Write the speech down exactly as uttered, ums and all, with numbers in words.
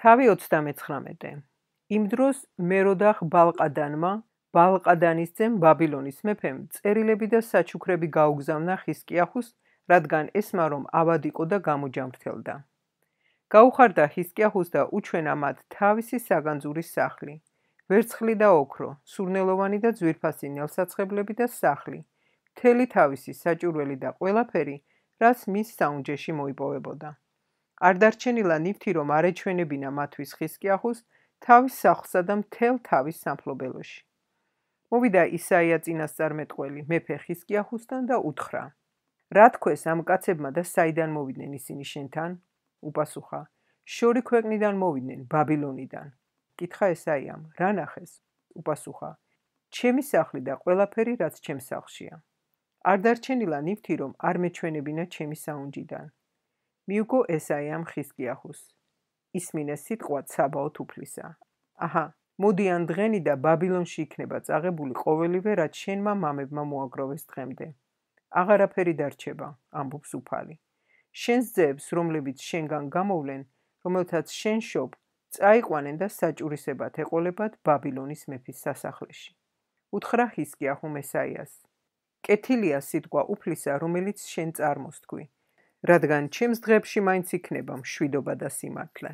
თავი ოცდამეცხრამეტე. იმ დროს მეროდახ ბალყადანმა, ბალყადანის ძემ ბაბილონის მეფემ წერილები და საჩუქრები გაუგზავნა ხისკიახუს, რადგან ესმა რომ ავად იყო და გამოჯამრთელდა. გაუხარდა ხისკიახუს და უჩვენა მათ თავისი საგანძურის სახლი, ვერცხლი და ოქრო, სურნელოვანი და ძვირფასი ნელსაცხებლები და სახლი, მთელი თავისი საჭურველი და ყველაფერი, რაც მის საუნჯეში მოიპოვებოდა. არ დარჩენილა ნივთი, რომ არ ეჩვენებინა მათთვის ხისკიახუს თავის სახლსა და მთელ თავის სამფლობელოში. მოვიდა ისაია წინასწარმეტყველი მეფე ხისკიახუსთან და უთხრა: რა თქვეს ამ კაცებმა და საიდან მოვიდნენ ისინი შენთან? უპასუხა: შორი ქვეყნიდან მოვიდნენ, ბაბილონიდან. კითხა ესაიამ: რა ნახეს? უპასუხა: ჩემი სახლი და ყველაფერი, რაც ჩემს სახლშია. არ დარჩენილა ნივთი, რომ არ მეჩვენებინა ჩემი საუნჯიდან. მიუგო ესაიამ ხისკიახუს. ისმინე სიტყვა ცაბაოთ უფლისა. აჰა, მოდი ან დღენი და ბაბილონში იქნება წაღებული ყოველივე, რაც შენმა მამებმა მოაგროვეს დღემდე. აღარაფერი დარჩება, ამბობს უფალი. შენს ძეებს, რომლებიც შენგან გამოვლენ, რომელთაც შენ შობ, წაიყვანენ და საჭურისებად ეყოლებათ ბაბილონის მეფის სასახლეში. უთხრა ხისკიახუმ ესაიას: კეთილია სიტყვა უფლისა, რომელიც შენ წარმოსთქვი, რადგან ჩემს დღეებში მაინც იქნება მშვიდობა და სიმართლე.